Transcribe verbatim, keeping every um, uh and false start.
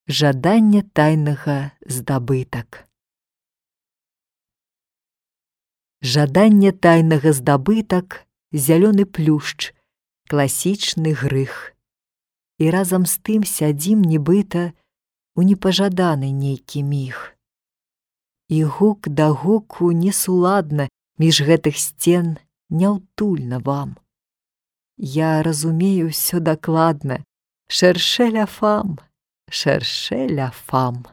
Жаданне тайнага здабытак. Жаданне тайнага здабытак, зялёны плюшч, класічны грых. І разам з тым сядзім нібыта у непажаданы нейкі міг. І гук да гуку несуладна між гэтых сцен няўтульна вам. Я разумею ўсё дакладна, шэршэ ля фам, шэршэ ля фам.